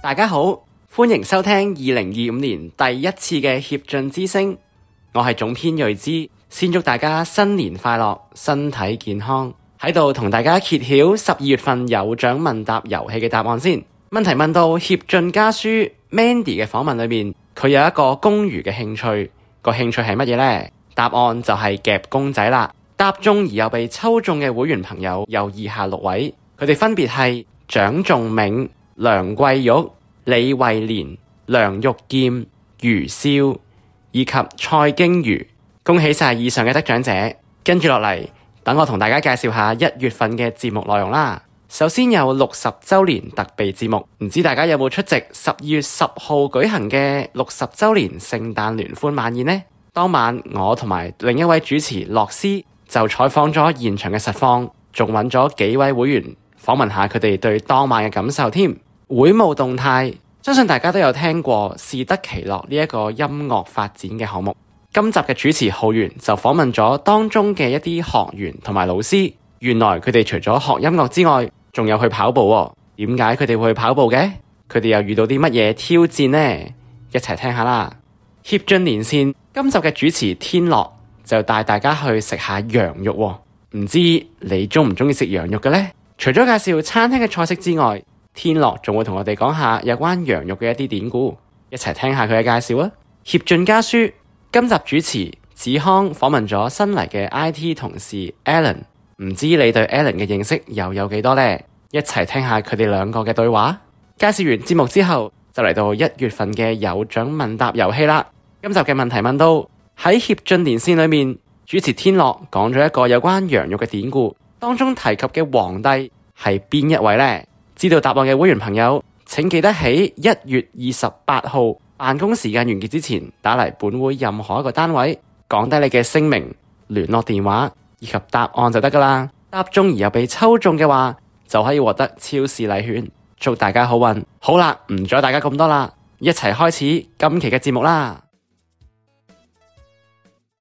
大家好，歡迎收聽2025年第一次嘅協進之聲，我係總編睿之，先祝大家新年快樂，身體健康。喺度同大家揭曉12月份有獎問答遊戲嘅答案先。問題問到協進家書 Mandy 嘅訪問裏面，佢有一個公餘嘅興趣，個興趣係乜嘢呢？答案就係夾公仔啦。答中而又被抽中嘅會員朋友有以下6位，佢哋分別係蔣仲銘、梁桂玉、李慧蓮、梁玉劍、余少以及蔡經如。恭喜晒以上嘅得獎者。跟住落嚟，等我同大家介紹下1月份嘅節目內容啦。首先有60週年特備節目，唔知大家有冇出席12月10號舉行嘅60週年聖誕聯歡晚宴呢？當晚我同埋另一位主持樂師就採訪咗現場嘅實況，仲揾咗幾位會員訪問下佢哋對當晚嘅感受添。會務動態，相信大家都有聽過士得其樂呢一個音樂發展嘅項目。今集嘅主持浩源就訪問咗當中嘅一啲學員同埋老師，原來佢哋除咗學音樂之外，仲有去跑步喎。點解佢哋會去跑步嘅？佢哋又遇到啲乜嘢挑戰呢？一齊聽下啦。協進連線今集嘅主持天樂就帶大家去食下羊肉喎。唔知你中唔中意食羊肉嘅呢？除咗介紹餐廳嘅菜式之外，天樂仲會同我哋講下有關羊肉嘅一啲典故，一齊聽下佢嘅介紹啊。協進家書今集主持子康訪問咗新嚟嘅 IT 同事 Alan， 唔知你對 Alan 嘅認識又有幾多呢？一齊聽下佢哋兩個嘅對話。介紹完節目之後，就嚟到1月份嘅有獎問答遊戲啦。今集嘅問題問到喺協進連線裏面，主持天樂講咗一個有關羊肉嘅典故，當中提及嘅皇帝係邊一位呢？知道答案嘅會員朋友，請記得喺1月28號辦公時間完結之前，打嚟本會任何一個單位，講低你嘅姓名、聯絡電話以及答案就得噶啦。答中而又被抽中嘅話，就可以獲得超市禮券。祝大家好運！好啦，唔阻大家咁多啦，一齊開始今期嘅節目啦。